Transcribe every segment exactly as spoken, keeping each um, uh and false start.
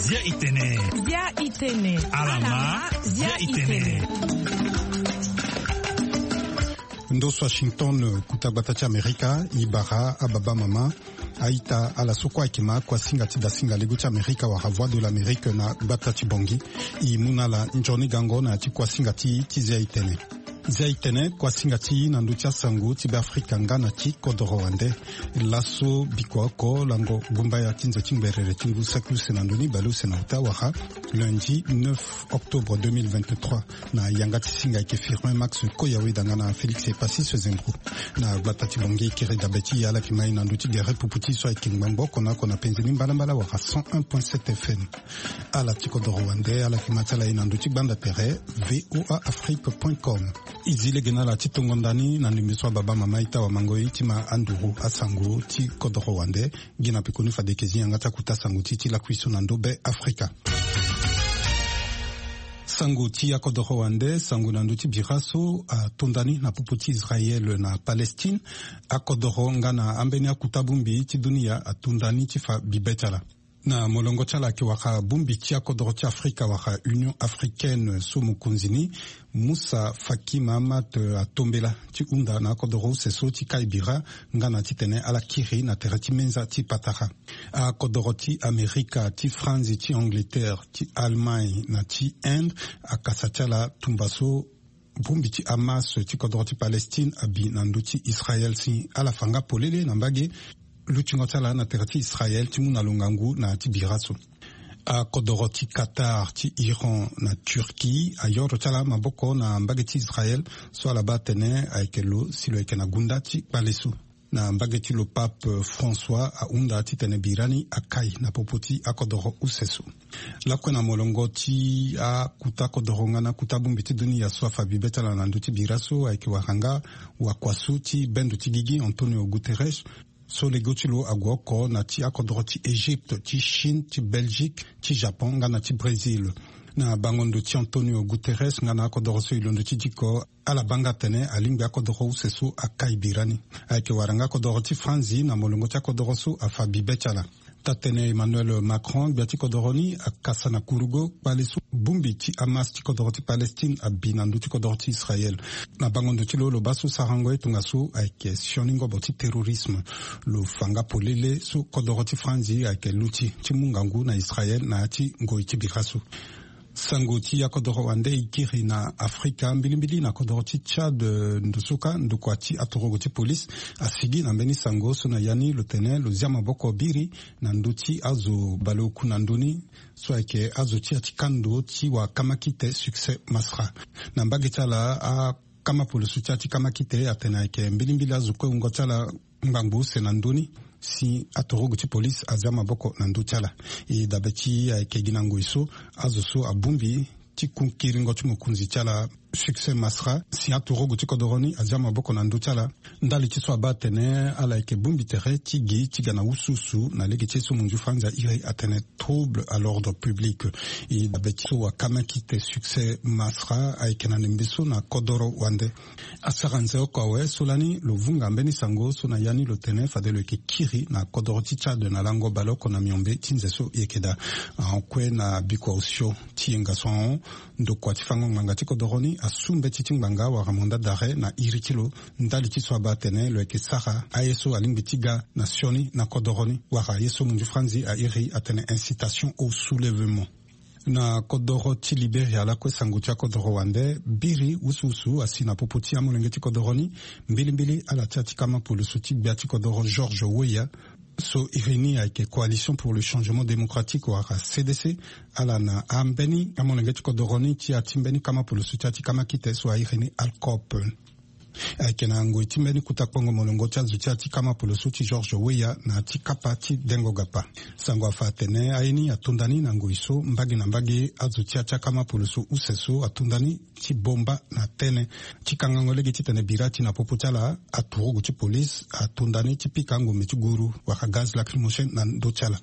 Zia itene. Zia itene. Alama. Zia itene. Ndo so Washington, kuta gbata ti Amerika, i bara ababa mama, aita ala so kue ayeke ma akuasinga ti dasinga lego ti Amerika wala Voix de l'Amérique na gbata ti Bongi. I mu na ala nzoni gango na ya ti kuasinga ti, ti zia itene. Zia itene, kuasinga ti na ndö ti asango ti Beafrika nga na ti kodoro wande. Laso bikua oko lango gumbaya ti nze ti ngberere ti ngu saki use na ndö ni bale use na uta wala lundi neuf octobre deux mille vingt-trois. Na yanga ti singa ayeke Firmin Max Koya Weda nga na Félix Epassis Zembrou. Na gbata ti Bongi, kiri dabe ti e ala yeke ma e na ndö ti gere pupu ti e so ayeke ngbangbo oko na oko na penze ni mbalambala wala cent un point sept F M. Ala ti kodoro wande ala yeke ma ti ala e na ndö ti gbanda tere V O A Afrique point com. E zi lege na ala ti tongo nda ni na ndembe so ababa mama e ta wamango e ti ma anduru asango ti kodoro wande. Gi na pekoni fade e yeke zi yanga ti akuta sango ti e ti lakui so na ndö Be Afrika. Sango ti akodoro wande, sango na ndö ti bira so atonda ni na popo ti Israël na Palestine. Akodoro nga na ambeni akuta bongbi ti dunia atonda ni ti fa bibe ti ala. Na molongo ti ala ayeke wara bongbi ti akodoro ti Afrika wara Union Africaine so mokonzi ni Moussa Faki Mahamat atombela ti hunda na akodoro use so ti kai bira nga na titene ala kiri na tere ti menza ti patara. Akodoro ti Amerika, ti Franzi, ti Angleterre, ti Allemagne na ti Inde akasa ti ala tumba so bongbi ti Hamas ti kodoro ti Palestine abi na ndö ti Israël si ala fa nga polele na mbage lutingo ti ala na tere ti Israël ti mu na lo ngangu na ya ti bira so. Akodoro ti Qatar, ti Iran na Turquie ayoro ti ala maboko na mbage ti Israël so ala baa atene ayeke lo si lo yeke na gunda ti kpale so. Na mbage ti lo, Pape François ahunda titene bira ni akai na popo ti akodoro use so. Lakue na molongo ti akuta kodoro nga na akuta bongbi ti dunia so afa bibe ti ala na ndö ti bira so ayeke wara nga wakua so ti bendo ti gigi Antonio Guterres so lego ti lo ague oko na ti akodoro ti Égypte, ti Chine, ti Belgique, ti Japon nga na ti Brésil. Na bango ndo ti Antonio Guterres nga na akodoro so e londo ti diko, ala baa nga atene alingbi akodoro use so akai bira ni. Ayeke wara nga kodoro ti Franzi na molongo ti akodoro so afa bibe ti ala. Taa-tënë Emmanuel Macron, gbia ti kodoro ni, akasa na kurugo kpale so bongbi ti Hamas ti kodoro ti Palestine abi na ndö ti kodoro ti Israël. Na bango ndo ti lo, lo baa so sarango ye tongaso ayeke sioni ngobo ti terrorisme. Lo fa nga polele so kodoro ti Franzi ayeke luti ti mu ngangu na Israël na ya ti ngoi ti bira so. Sango ti akodoro wande e kiri na Afrika mbilimbili na kodoro ti Tchad, eh, ndusuka ndokua ti atorogo ti police asigi na mbeni sango so na ya ni lo tene lo zia maboko biri na ndö ti azo baleoku na ndö ni so ayeke azo ti ya ti kando ti wakamakite Succès Masra. Na mbage ti ala, akama poloso ti ya ti kamakite atene ayeke mbilimbili azo kue wungo ti ala ngbangbo use na ndö ni si atorogo ti police azia maboko na ndö ti ala. E dabe ti e ayeke gi na ngoi so azo so abongbi ti ku kiringo ti mokonzi ti ala Succès Masra si atorogo ti kodoro ni azia maboko na ndö ti ala. Ndali ti so abaa atene ala yeke bongbi tere ti gi ti ga na usuusu na lege ti ye so monzu Franzi airi atene trouble à l'ordre public. E dabe ti so wakamakite Succès Masra ayeke na ndembe so na kodoro wande. Asara nze oko awe so lani lo vunga mbeni sango so na ya ni lo tene fade lo yeke kiri na kodoro ti Tchad na lango baleoko na miombe ti nze so e yeke daa. Ahon kue na bikua osio ti yenga so ahon, ndokua ti fango ngbanga ti kodoro ni asu mbeti ti ngbanga wala mandat d'arrêt na iri ti lo. Ndali ti so abaa atene lo yeke sara aye so alingbi ti ga na sioni na kodoro ni wala ye so monzu Franzi airi atene incitation au soulèvement. Na kodoro ti Liberia lakue sango ti akodoro wande biri usuusu asi na popo ti amolenge ti kodoro ni, mbilimbili ala ti ya ti kama poloso ti gbia ti kodoro George Weah so iri ni ayeke Coalition pour le Changement Démocratique wala C D C. Ala na ambeni amolenge ti kodoro ni ti ya ti mbeni kama poloso ti ya ti kamakite so airi ni ALCOP. Ayeke na ngoi ti mbeni kuta kpongo molongo ti azo ti ya ti kama poloso ti George Weah na ya ti kapa ti dengo gapa. Sango afa atene aye ni atonda ni na ngoi so mbage na mbage azo ti ya ti akama poloso use so atonda ni ti bomba na tënë ti kangango lege titene bira ti na popo ti ala aturugu ti police atonda ni ti pika ngombe ti guru wala gaz lacrymogène na ndö ti ala.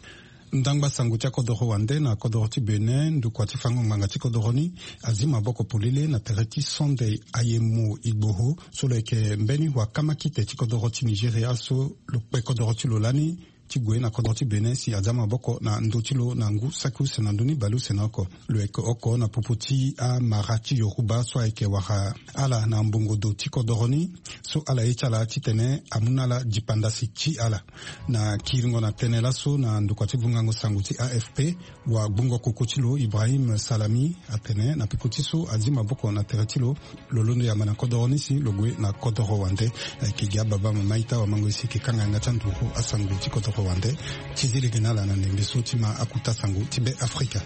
Ndangba sango ti akodoro wande na kodoro ti Bénin, ndukua ti fango ngbanga ti kodoro ni azi maboko polele na tere ti Sunday Ayemo Igboho, so lo yeke mbeni wakamakite ti kodoro ti Nigeria, so lo kpe kodoro ti lo lani ti gue na kodro ti Bénin si aza maboko na ndö ti lo na ngu saki use na ndö ni bale use na oko. Lo yeke oko na popo ti amara ti Yoruba so ayeke wara ala na mbongo do ti kodoro ni, so ala ye ti ala titene amu na ala dipandasi ti ala. Na kiringo na tënë laso na ndokua ti vungango sango ti A F P, wagbongo koko ti lo Ibrahim Salami atene na peko ti so azi maboko na tere ti lo, lo londo yamba na kodoro ni si lo gue na kodoro wande. Ayeke gi ababa mama ita wamango e si e yeke kanga yanga ti anduru asango ti kodoro wande. Ti zi lege na ala na ndembe so ti ma akuta sango ti Be Afrika.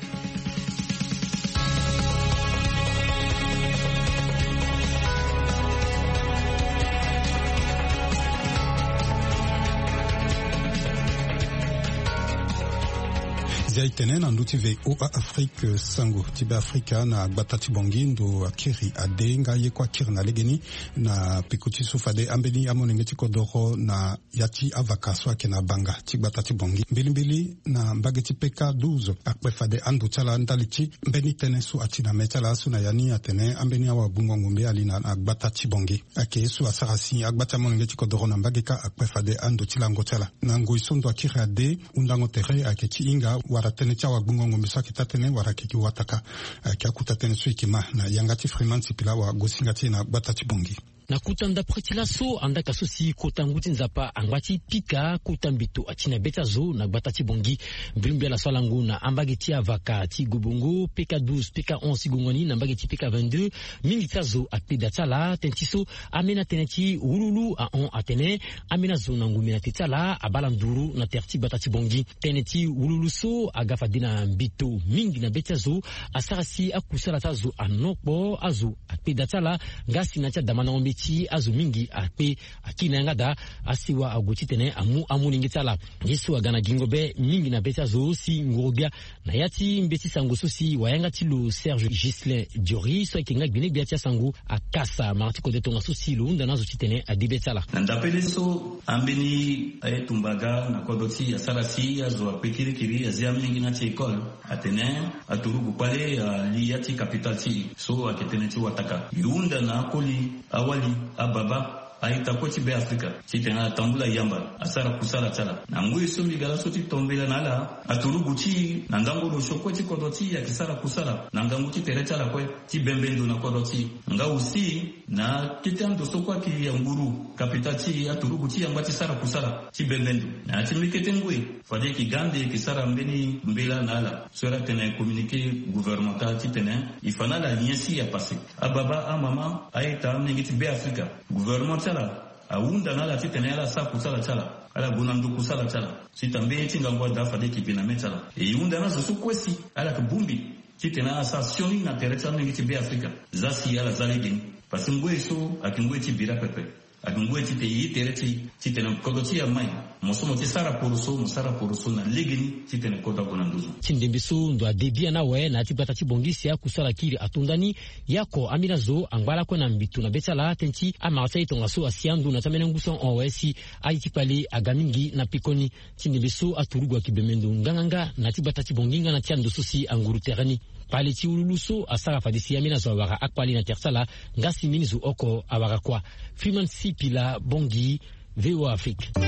Zia e tene na ndö ti V O A Afrique, sango ti Be Afrika na gbata ti Bangui ndo akiri ade nga ye kue akiri na legeni. Na peko ti so fade ambeni amolenge ti kodoro na ya ti avaka so ayeke na banga ti gbata ti Bangui mbilimbili na mbage ti P K douze akpe fade ando ti ala ndali ti mbeni tënë so ati na me ti ala so na ya ni atene ambeni awagbongo ngombe ali na, na gbata ti Bangui. Ayeke ye so asara si agba ti amolenge ti kodoro na mbage kâ akpe fade ando ti lango ti ala. Na ngoi so ndo akiri ade, hundango tere ayeke ti hinga wala tënë ti awagbongo ngombe so ayeke taa-tënë wala ayeke gi wataka. Ayeke akuta tënë so e yeke ma na yanga ti Freeman Sipila wagosinga ti e na gbata ti Bangui. Na kota ndapre ti laso, andaka so si kota ngu ti Nzapa angba ti pika kota mbito ati na be ti azo na gbata ti Bangui. Mbrimbri ala so alango na ambage ti avaka ti Gobongo, P K douze, P K onze ti gongo ni na mbage ti P K vingt-deux, mingi ti azo akpe da ti ala tënë ti so ambeni atënë ti wululu ahon atene ambeni azo na ngombe na te ti ala abaa ala nduru na tere ti gbata ti Bangui. Tënë ti wululu so aga fade na mbito mingi na be ti azo asara si akusala ti azo anokpo, azo akpe da ti ala, nga si na ya ti adamandango mbeti azo mingi akpe akiri na yanga daa. Asewa ague titene amu amolenge ti ala. Ye so aga na gingo be mingi na be ti azo si nguru-gbia na ya ti mbeti sango so si wayanga ti lo Serge Ghislain Diori so ayeke nga gbene-gbia ti asango akasa mara ti kode tongaso si lo hunda na azo titene ade be ti ala. Na ndapele so ambeni aye tumba aga na kodro ti e asara si azo akpe kirikiri, azi amingi na ya ti école. Atene aturugu kpale ali ya ti capitale ti e so ayeke tënë ti wataka. E hunda na akoli, awali, ababa, a-ita kue ti Be Afrika titene ala tambula yamba asara kusala ti ala. Na ngoi so mbi ga laso ti to mbela na ala, aturugu ti e na ndango lo sio kue ti kodro ti e ayeke sara kusala na ngangu ti tere ti ala kue ti bembe ndo na kodro ti e. Nga aussi na kete ando so kue ayeke ya nguru, kapita ti e, aturugu ti e angba ti sara kusala ti bembe ndo. Na ya ti mbekete ngoi, fade e yeke ga ande e yeke sara mbeni mbela na ala so ala tene communiqué gouvernemental titene e fa na ala lien si e apassé. Ababa, amama, a-ita, amolenge ti Be Afrika, gouvernement ti ala ahunda na ala titene ala sara kusala ti ala, ala gue na ndo kusala ti ala. Si tambe ye ti ngangu ada fade e yeke bi na me ti ala. E hunda na azo so kue si ala yeke bongbi titene ala sara sioni na tere ti amolenge ti Be Afrika. Za si ala za legeni. Parce que ngoi so ayeke ngoi ti bira pepe. Ayeke ngoi titene e ye tere ti e titene kodro ti e amai. Mo so mo ti sara poroso, mo sara poroso na legeni titene kodro ague na nduzu. Ti ndembe so ndo ade biani awe na ya ti gbata ti Bangui si akusala kiri ato nda ni. Ye oko ambeni azo angba lakue na mbito na be ti ala tënë ti amara ti aye tongaso asi ando na ya ti ambeni angu so ahon awe si aye ti kpale aga mingi na pekoni. Ti ndembe so aturugu ayeke bembe ndo nganganga na ya ti gbata ti Bangui nga na ya ti ando so si anguru tere ni. Kpale ti wululu so asara fade si ambeni azo awara akpale na tere ti ala, nga si mbeni zo oko awara kua. Freeman Sipila, Bangui, V O A Afrique. E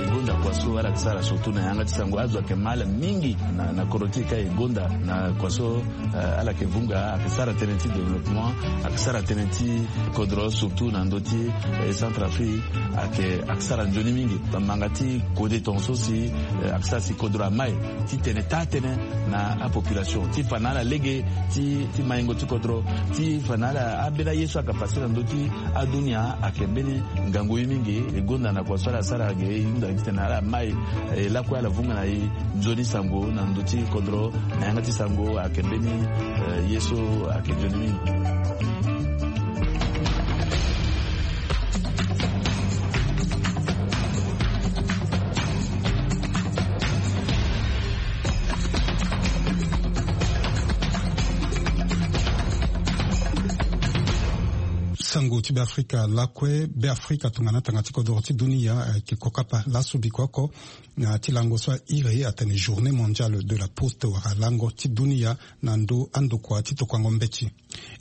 gonda kua so ala yeke sara surtout na yanga ti sango, azo ayeke ma ala mingi na, na kodro ti e ka e gonda na kua so, eh, ala yeke vunga, ayeke sara tënë ti développement, ayeke sara tënë ti kodro surtout na ndö ti, eh, Centrafrique, ayeke, ayeke sara nzoni mingi. Bamanga ti kode tongaso si, eh, ayeke sara si kodro amai titene taa-tënë na apopulation ti fa na ala lege ti, ti maingo ti kodro, ti fa na ala ambeni aye so ayeke pase na ndö ti adunia ayeke mbeni ngangu ye mingi. E gonda na kua so ala sara ge e hunda titene ala mai, eh, lakue ala vunga na e nzoni sango na ndö ti kodro na yanga ti sango ayeke mbeni, eh, ye so ayeke nzoni mingi. Sango ti Beafrika lakue. Beafrika tongana tanga ti kodoro ti dunia ayeke kokapa laso biko oko na ya ti lango so airi atene Journée Mondiale de la Poste wala lango ti dunia na ndo andokua ti tokuango mbeti.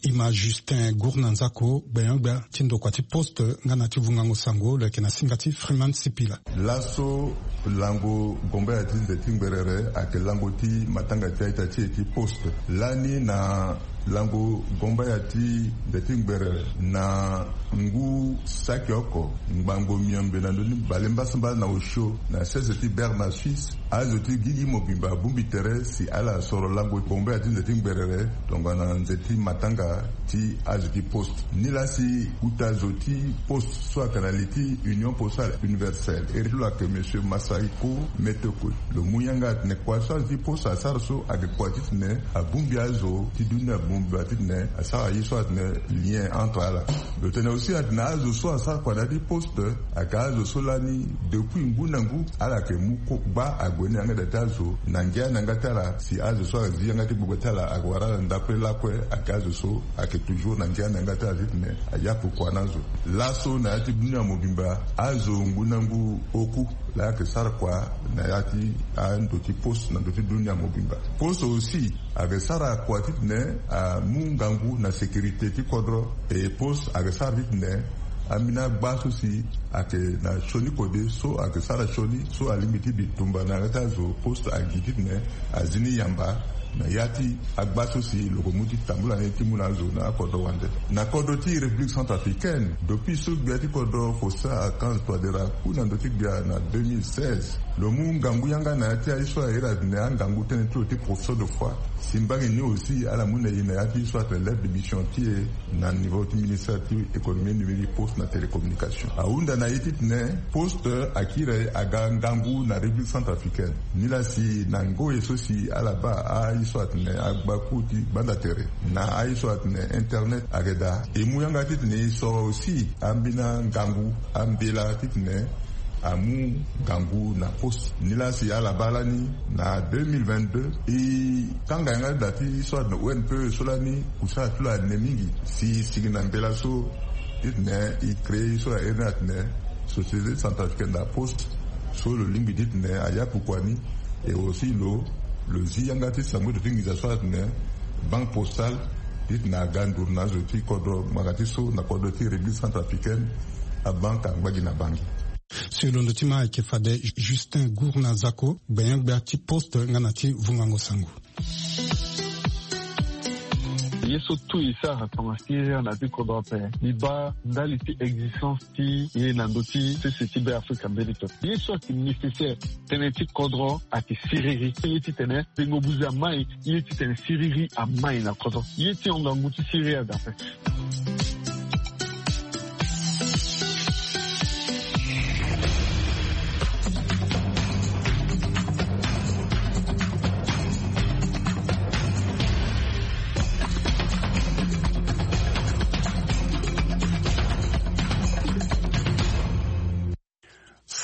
Ima Justin Gourna Nzako, gbenyo-gbia ti ndokua ti poste nga na ti vungango sango lo yeke na singa ti Freeman Sipila. Laso lango gombaya ti nze ti ngberere ayeke lango ti matanga ti a-ita ti e ti poste. Lani na lango gombaya ti nze ti ngberere na ngu saki oko ngbangbo miombe na ndö ni bale mbasambala na osio na sese ti Berne na Suisse, azo ti gigi mobimba abongbi tere si ala soro lango gombaya ti nze ti ngberere tongana nze ti matanga ti azo ti poste. Nilaa si uta zo ti poste so ayeke na li ti Union Postale Universelle, iri ti lo ayeke Monsieur Masahiko Metokwe. Lo mu yanga atene kua so azo ti poste asara so ayeke kua titene abongbi azo ti dunia mobimba titene asara ye so atene lien entre ala. Lo tene aussi atene azo so asara kua na ya ti poste ayeke azo so lani depuis ngu na ngu ala yeke mu kogba ague ni yanga daa ti azo na ngia na yanga ti ala si azo so azi yanga ti gbogbo ti ala ayeke wara ala ndapre lakue ayeke azo so ayeke toujours na ngia na yanga ti ala titene ayapu kua na azo. Laso na ya ti dunia mobimba azo ngu na ngu oku laa ayeke sara kua na ya ti ando ti poste na ndo ti dunia mobimba. Poste aussi ayeke sara kua titene amu ngangu na sécurité ti kodro. E poste ayeke sara titene ambeni agba so si ayeke na sioni kode so ayeke sara sioni so alingbi ti bi tumba na yanga ti azo poste agi titene azi ni yamba na ya ti agba so si lo ko mu ti tambula ni ti mu na azo na akodro wande. Na kodro ti République centrafricaine, depuis so gbia ti kodro Faustin Archange Touadéra aku na ndö ti gbia na deux mille seize, lo mu ngangu yanga na ya ti aye so airi atene angangu tënë ti lo ti professeur de foi. Si mbage ni aussi ala mu na e na ya ti so atene lettre de mission ti e na niveau ti ministère ti économie numérique, poste na télécommunication. Ahunda na e titene poste akiri aga ngangu na République centrafricaine. Nilaa si na ngoi so si ala baa aye so atene agbaku ti gbanda tere na aye so atene internet ayeke daa, e mu yanga titene e soro aussi ambeni angangu ambela titene amu ngangu na poste. Nilaa si ala baa lani na deux mille vingt-deux e kanga yanga ti da ti so atene O N P E so lani kusala ti lo ane mingi si e sigi na mbela so titene e créer so airi ni atene Société Centrafricaine de la Poste so lo lingbi titene ayapu kua ni. Et aussi lo lo zi yanga ti sango ti lo ti nginza so atene Banque Postale titene aga nduru na azo ti kodro ngbanga ti so na kodro ti République centrafricaine. Abanque angba gi na bangi. Si londo ti ma ayeke fade Justin Gourna Zako, gbenyo-gbia ti poste nga na ti vungango sango. Ye so tout e sara tongana siriri na ya ti kodro ape, mbi baa ndali ti existence ti ye na ndö ti sese ti Beafrika mbeni pepe. Ye so ayeke nécessaire tënë ti kodro ayeke siriri. Ye titene pengo buze amai, ye titene siriri amai na kodro. Ye ti hon ngangu ti siriri aga ape.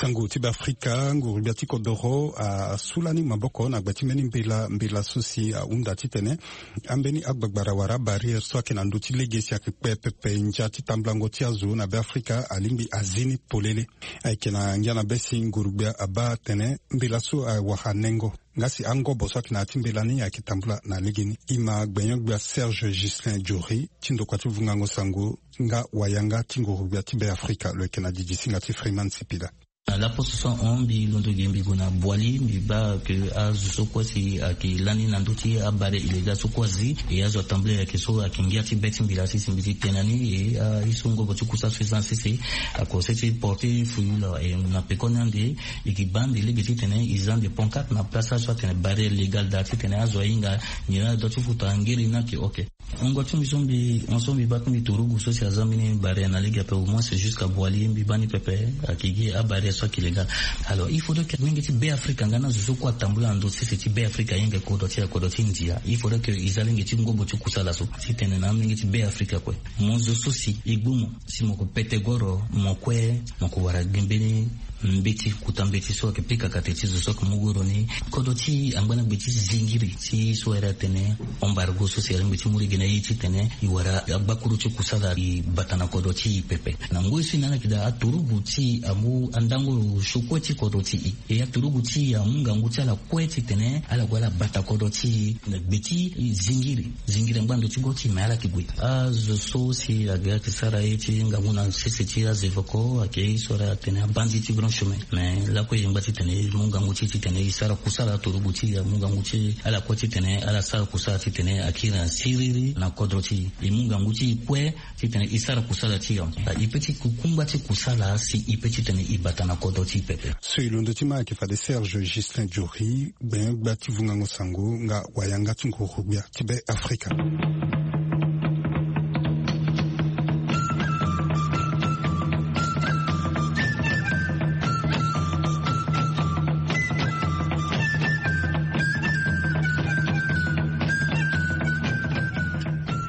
Sango ti Beafrika, nguru-gbia ti kodoro asu lani maboko na gbe ti mbeni mbela, mbela so si ahunda titene ambeni agbagbara wala abarrière so ayeke na ndö ti lege si ayeke kpe pepe ndia ti tambulango ti azo na Beafrika alingbi azi ni polele. Ayeke na ngia na be si nguru-gbia abaa atene mbela so awara nengo. Nga si angobo so ayeke na ya ti mbela ni ayeke tambula na legeni. Ima gbenyo-gbia Serge Ghislain Diori ti ndokua ti vungango sango nga wayanga ti nguru-gbia ti Beafrika lo yeke na didi singa ti Freeman Sipila. Na laposte so ahon mbi londo ge mbi gue na Boali, mbi baa ke azo so kue si ayeke lani na ndö ti abarrière illégale so kue azi. E azo atambula ayeke so ayeke ngia ti be ti mbi laa si si mbi ti tene na ni e aye so ngobo ti kusa so e za na sese ako sese porter fruit lo. E na peko ni ande e yeke baa ande lege titene e za ande pancarte na place azo so atene barrière légale daa titene azo ahinga nyen na aye dua ti futa ngere ni ayeke ok. Wungo ti mbi so mbi hon so mbi baa ti mbi turugu so si aza mbeni barrière na lege ape au moins jusqu'à Boali mbi baa ni pepe. Ayeke gi abarrière so ayeke légale. Alors il faudrait que mingi ti Beafrika nga na zo so kue atambula na ndö ti sese ti Beafrika ahinga kodro ti kodro ti India. Il faudrait que e za lenge ti ngobo ti kusala so titene na amenge ti Beafrika kue mo zo so si e gbu mo si mo ko pete goro mo kue mo ko wara gi mbeni Mbeti, kota mbeti so ayeke pika kate ti zo so ayeke mu goro ni. Kodro ti angbana gbe ti zingiri ti so ayere atene embargo so si alingbi ti mu lege na ye titene e wara agbakuru ti kusala e bata na kodro ti e pepe. Na ngoi so e na ala yeke daa, aturugu ti e amu andango sio kue ti kodro ti e. E aturugu ti e amu ngangu ti ala kue titene ala gue ala bata kodro ti e na gbe ti zingiri. Zingiri angba ndo ti go ti e me ala yeke gue. Azo so si aga ayeke sara ye ti ngangu na sese ti azevoko ayeke ye so ala tene abandi ti grand chemin. Me lakue e ngba titene e mu ngangu ti e titene e sara kusala, aturugu ti e amu ngangu ti ala kue titene ala sara kusala titene akiri na siriri na kodro ti e. E mu ngangu ti e kue titene e sara kusala ti e. E pe ti kukungba ti kusala si e pe titene e bata na kodro ti e pepe. So e londo ti ma ayeke fade Serge Justin Diori, gbenyo-gbia ti vungango sango nga wayanga ti nguru-gbia ti Be Afrika.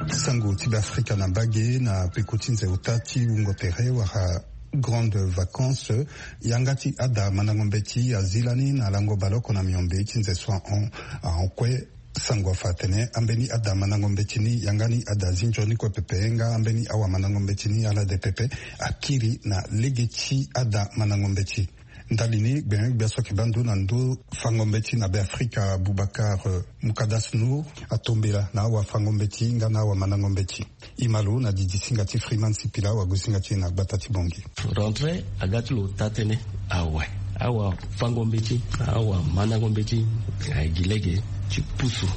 Sango ti Be Afrika na mbage na peko ti nze ota ti wungo tere wala grande vacance. Yanga ti ada mandango mbeti azi lani na lango baleoko na miombe ti nze so ahon. Ahon kue, sango afa atene ambeni ada mandango mbeti ni, yanga ni ada zi nzoni kue pepe nga ambeni awamandango mbeti ni ala de pepe, akiri na lege ti ada mandango mbeti. Ndali ni, gbenyo-gbia so ayeke baa ndo na ndo fango mbeti na Be Afrika, Boubacar, eh, Moukadas Nour, atombela na awafango mbeti nga na awamandango mbeti. E ma lo na didi singa ti Freeman Sipila, awagosinga ti e na gbata ti Bangui. Rentrée aga ti lo taa tënë awe. Awafango mbeti, awamandango mbeti, ayeke gi lege ti pusu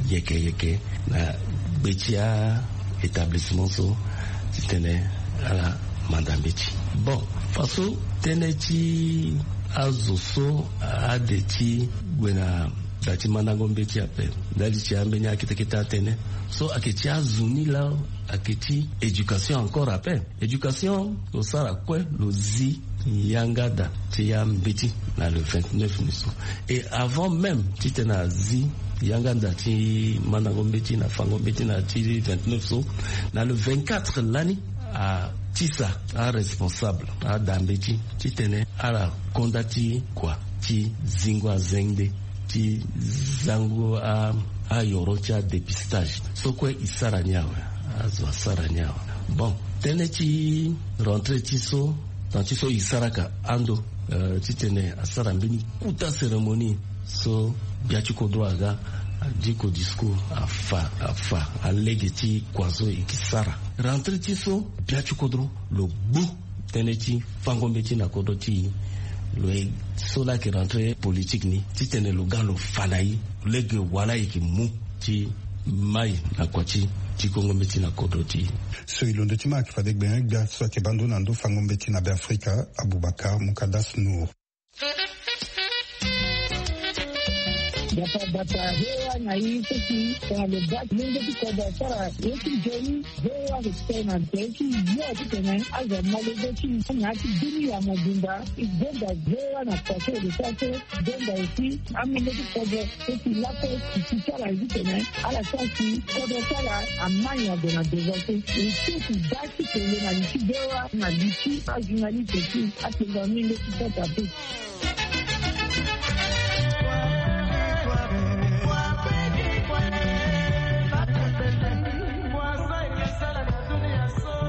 yeke yeke na gbe ti a-établissement so titene ala manda mbeti. Bon, faso tënë ti azo so ade ti gue na da ti mandango mbeti ape, ndali ti ambeni akete kete atene so ayeke ti azo ni laa, ayeke ti éducation encore ape. Éducation, lo sara kue, lo zi yanga da ti ambeti na le vingt-neuf ni so. Et avant même titene azi yanga da ti mandango mbeti na fango mbeti na ti vingt-neuf so, na le vingt-quatre lani, atisa aresponsable ada mbeti titene ala konda ti kua ti zingo azengbe ti zango a, ayoro ti adépistage. So kue e sara ni awe, azo asara ni awe. Bon, tënë ti rentrée ti so, temps ti so e saraka ando, eh, titene asara mbeni kuta cérémonie so gbia ti kodro aga, adiko discours, afa, afa alege ti kua so e ke sara. Rentrée ti so, gbia ti kodro lo gbu tënë ti fango mbeti na kodro ti e. Lo ye so laa ayeke rentrée politique ni titene lo ga lo fa na e lege wala e yeke mu ti mai na kua ti, ti kongo mbeti na kodro ti e. So e londo ti ma ayeke fade gbenyo-gbia so ayeke baa ndo na ndo fango mbeti na Be Afrika, Aboubacar Moukadas Nour. Bata bata V O A na e so si tongana lo baa ti lenge ti kodro asara ye ti nzoni, V O A ayeke tene na tere ti yo titene azo amolenge ti e na ya ti bini ya mobimba. E gonda V O A na kua so e lo sara so, e gonda aussi amolenge ti kodro so si lakue e si ti ala ye titene ala sara si kodro ti ala amai ague na devant so. E so si baa ti kele na li ti V O A na li ti ajournaliste ti atengo amolenge ti kodro ape.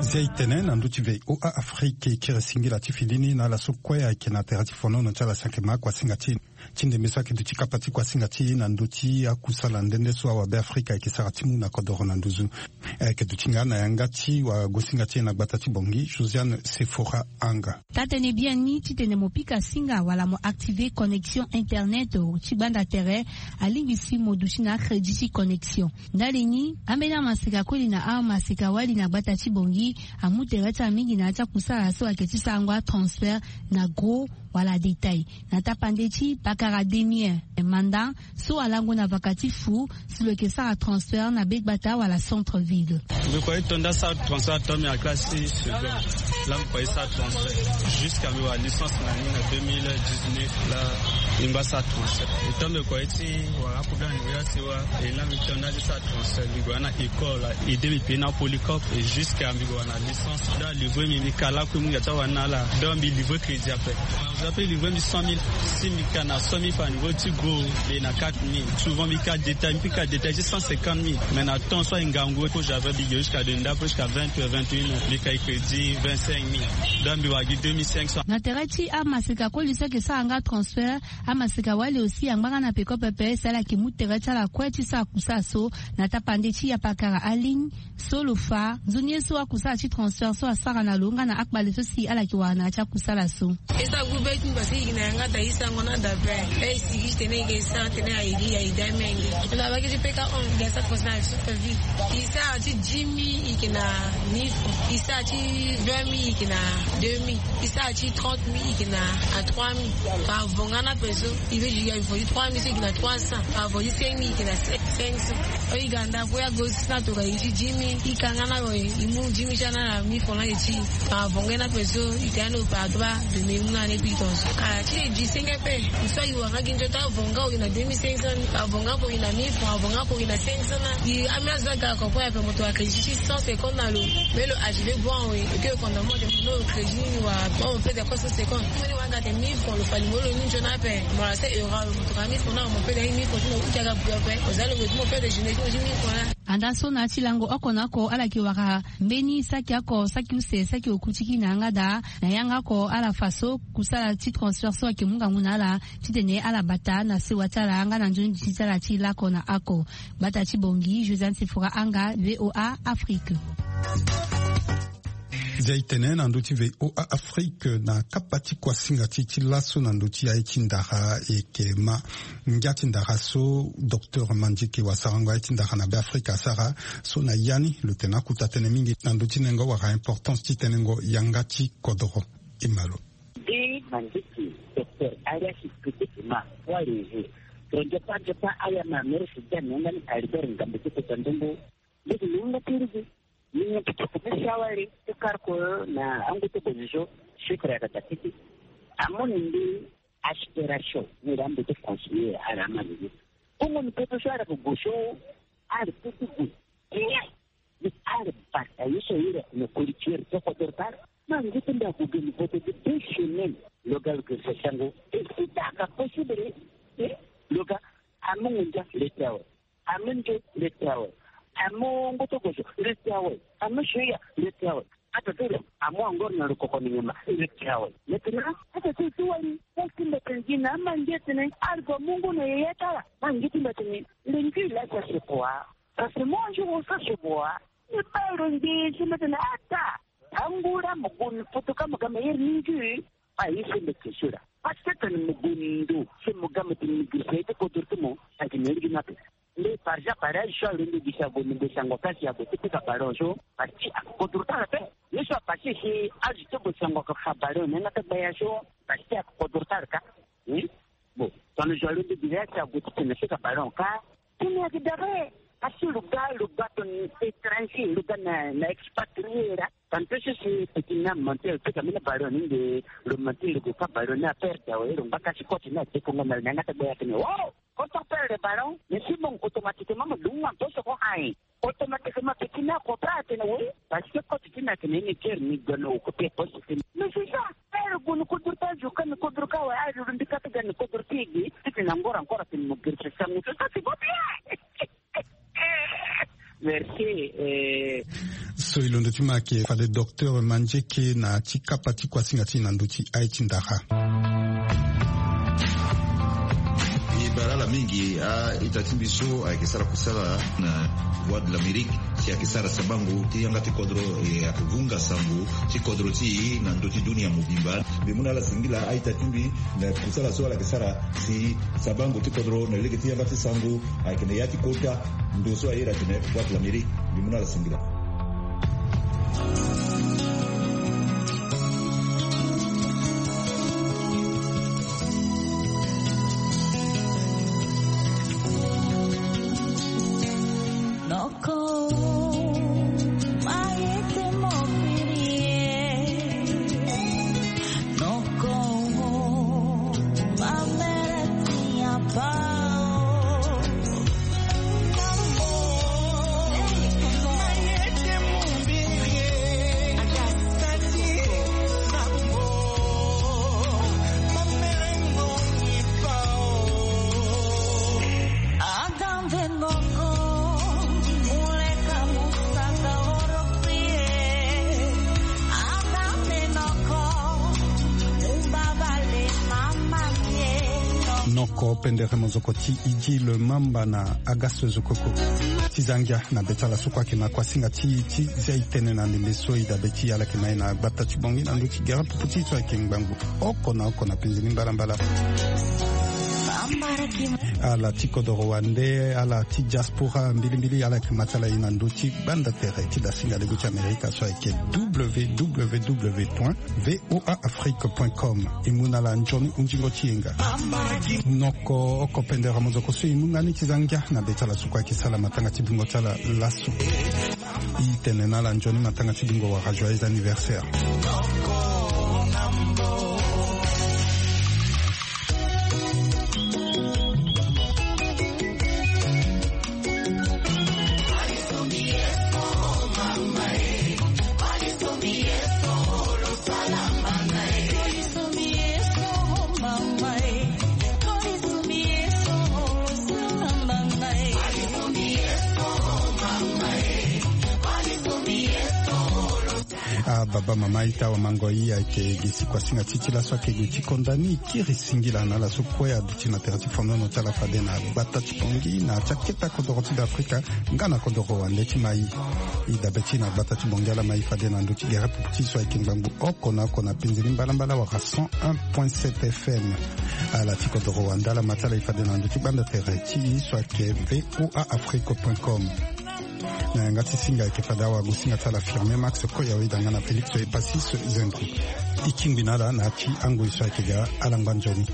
Zia e tene na ndö ti V O A Afrique, e kiri singila ti fini ni na ala so kue ayeke na tere ti fonono ti ala si ayeke ma akuasinga ti e ti ndembe so ayeke duti kapa ti kuasinga ti e na ndö ti akusala nde nde so awabe Afrika ayeke sara ti mu na kodoro na nduzu. Ayeke duti nga na yanga ti wagosinga ti e na gbata ti Bangui, Josiane Sephora Anga. Taa-tënë biani titene mo pika singa wala mo activer connexion internet ti gbanda tere, alingbi si mo duti na acrédit ti connexion. Ndali ni, ambeni amaseka koli na amaseka wali na gbata ti Bangui amu tere ti ala mingi na ya ti akusala so ayeke ti sarango atransfert na gros wala détail. Na tapande ti Bakara Demir, manda so alango na vaka ti fu si lo yeke sara transfert na be gbata wala centre ville. Mbi kua ti to nda sara transfert, to mbi na classe ti seconde. Laa mbi kua ti sara transfert jusqu'à mbi wara licence na ni na deux mille dix-neuf. Laa mbi ngba sara transfert. E to mbi kua ti wara aproblème na niveau ya sewa. E laa mbi to nda ti sara transfert, mbi gue na école, aide mbi payer na polycope. Et jusqu'à mbi gue wara na licence. Donc livrer mbi, mbi ka lakue, mbi mu ngia ti awara ni na ala. Donc mbi livrer crédit ape. Après livrer mbi cent mille, si mbi ka na cent mille francs niveau ti gros, et na quatre mille. Souvent mbi ka détail, mbi ka détail ti cent cinquante mille. Mais na temps so aye ngangu, ko j'avais mbi ge jusqu'à de ndapo jusqu'à vingt heures, vingt et une heures, mbi ka ye crédit vingt-cinq mille. Donc mbi wara gi deux mille cinq cents. Na tere ti amaseka koli so ayeke sara nga transfert, amaseka wali aussi angba nga na peko pepe si ala yeke mu tere ti ala kue ti sara kusala so na tapande ti yapakara aligne. So lo fa nzoni ye so akusala ti transfert so asara na lo nga na akpale so si ala yeke wara na ya ti akusala so. E sara groupe ti mbi parce que e yeke na yanga daa, e sarango na daa ape. E sigi ti tene e yeke sara tene aye gi aye gi amenge. Na bage ti peka hon e yeke sara transfert na super vie. E sara ti dix mille e yeke na mille francs. E sara ti vingt mille e yeke na deux mille. E sara ti trente mille e yeke na trois mille. Par avant nga na ape so e ve ju ya e fo ti trois mille so e yeke na trois cents. Par avant ti cinq mille e yeke na cinq cents. E ga ndako ya go si na tokua e ti dix mille, e ka nga na lo e mu dix mille ti ana na mille francs na e ti. Par avant nga na ape so e tene na opérateur ba de me mu na ane pili tonso. Ah ti e di senge ape. So e wara nga gi nzota avant nga e yeke na deux mille cinq cents. Avant nga ape e yeke na mille francs, avant nga ape e yeke na cinq cents na. E ame azo aga comprendre ape moto ayeke gi ti cent cinquante na lo. Mais lo agi ve bon awe. E ke e konda mo de mo crédit ni wa mo mo pede ko cent cinquante. Mo ni wa ga de mille francs lo fali mo lo ni nzoni ape. Mo la se euro lo mo tokua mille francs na mo pede mille francs ti mo uti aga bro ape. Oza lo mo pede jeunesse ti mo ti mille francs na. Andaa so na ya ti lango oko na oko ala yeke wara mbeni saki oko, saki use, saki oku ti kini na yanga daa. Na yanga oko ala fa so kusala ti transfert so ayeke mu ngangu na ala titene ala bata na sewa ti ala nga na nzoni ti ala ti lako na ako. Gbata ti Bangui, Josiane Sefora Anga, V O A Afrique. Zia e tene na ndö ti V O A Afrique na kapa ti kuasinga ti e ti laso na ndö ti aye ti ndara e yeke ma ngia ti ndara so docteur Mandieke wa sarango aye ti ndara na Beafrika asara so na ya ni lo tene akuta tënë mingi na ndö ti nengo wala importance ti tenengo yanga ti kodoro. E ma lo. Nde Mandieke, docteur Arias Kete Emma, wala e he. Tondio pa ndio pa aya ma mere si dia na yanga ni Albert Ngambe ti kota ndongo. Nde si ni nga ti rigi. Ni nga ti kota ni si awali ti kar ko na angu ti opposition. Chiffre ayeke daa titi. Amoni nde aspiration ni la mbi ti continuer ala ma nini. Bongo ni poto so ala ko go so ala ti ti gue. Ni ala bata ye so iri na koli ti iri ti kodoro ti ala. Ma ngu ti mbi ague ge ni poto ti deux semaines. Lo ga lo ge sesango. E si ta ka possible. E lo ga amu ngu ndia le ti awe. Amu nde le ti awe. Amu ngoto gozo le ti awe. Amu soya le ti awe. Ata ti lo amu angor na lo koko ni nyama le ti awe. Maintenant ata ti ti wali. Ti mbi tene gi na ama nge tene argo mungu na yeye ti ala. Ma nge ti mbi tene le ngi la sa se quoi? Parce que moi je vous sa se quoi? Ni baro nge si mbi tene ata. Angura mo gun foto ka mo ga me yer ni ngi. A ye so mbi ke so la. Parce que tene mo gun ndo so mo ga mo tene mo giri sa ye ti kodoro ti mo. Agi na ligi na pe. Nde par exemple pare azo so alondo gi si ague ni gue sango kasi ague ti pika ballon so. Parce que akodoro ti ala pe. Ye so apase si azo ti gue sango ake fa ballon na yanga ti gbaya so. Parce que akodoro ti ala ka. Bon, tongana zo alondo gi si ague ti tene na pika ballon ka. Tene ayeke dabe. Asi lo ga lo ga tongana étranger lo ga na na expatrié la. Tantôt so si petit na mentir pika mbeni ballon ni nde lo mentir lo gue fa ballon ni aperde awe lo ngba kasi koti ni adefongo na lo na yanga ti gbaya tene o. Quand on perd le ballon, mais si bon, automatiquement mo dunga to so ko aye. Automatiquement petit na ko pa atene oui. Parce que koti ti na tene ni ker ni gana occupé poste ti. Mais c'est ça. Père goni kodro ta jo kan kodro ka wa ayo ndi kata gani kodro ti ege. Titi na ngora ngora tene mo gerse sangu to ça c'est pas bien. Merci. Eh. So e londo ti ma ayeke fade docteur Mandieke na ti kapa ti kuasinga ti e na ndö ti aye ti ndara. E bara ala mingi a-ita ti mbi so ayeke sara kusala na Voix de l'Amérique si ayeke sara sabango ti yanga ti kodro e ayeke vunga sango ti kodro ti e na ndö ti dunia mobimba. Mbi mu na ala singila a-ita ti mbi na kusala so ala yeke sara si sabango ti kodro na lege ti yanga ti sango ayeke na ya ti kota. Ndo so aye la tene Voix de l'Amérique. Mbi mu na ala singila. Noko pendere mozoko ti Idji le Mamba na Agasse Zokoko. Ti za ngia na be ti ala so kue ayeke ma kuasinga ti, ti zia e tene na ndembe so e dabe ti ala yeke ma e na gbata ti Bangui na ndö ti gere pupu ti e so ayeke ngbangbo oko na oko na penze ni mbalambala. Ala ti kodoro wande, ala ti diaspora mbilimbili, ala yeke ma ti ala e na ndö ti gbanda tere ti dasinga lego ti Amerika so ayeke w w w point v o a afrique point com. E mu na ala nzoni hunzingo ti yenga. Noko oko pendere mozoko so e mu nga ni ti za ngia na be ti ala so kue ayeke sara matanga ti bingo ti ala laso. E tene na ala nzoni matanga ti bingo wala joyeux anniversaire. Ah, baba, mama, ita, awamango, i ayeke gi ti kuasinga ti e ti laso ayeke gi ti konda ni. E kiri singila na ala so kue aduti na tere ti fondono ti ala fade na gbata ti Bangui na ya ti akete kodoro ti Beafrika nga na kodoro wande ti ma e. E dabe ti e na gbata ti Bangui, ala ma e fade na ndö ti gere pupu ti e so ayeke ngbangbo oko na oko na penze ni mbalambala wala cent un point sept F M. Ala ti kodoro wande, ala ma ti ala e fade na ndö ti gbanda tere ti e so ayeke v o a afrique point com. Na yanga ti singa ayeke fade awagosinga ti ala Firmin Max Koya, weda nga na Félix Epasis Zendro. E kingbi na ala na ya ti angoi so ayeke ga ala ngba nzoni.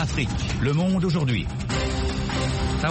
Afrique, le monde aujourd'hui.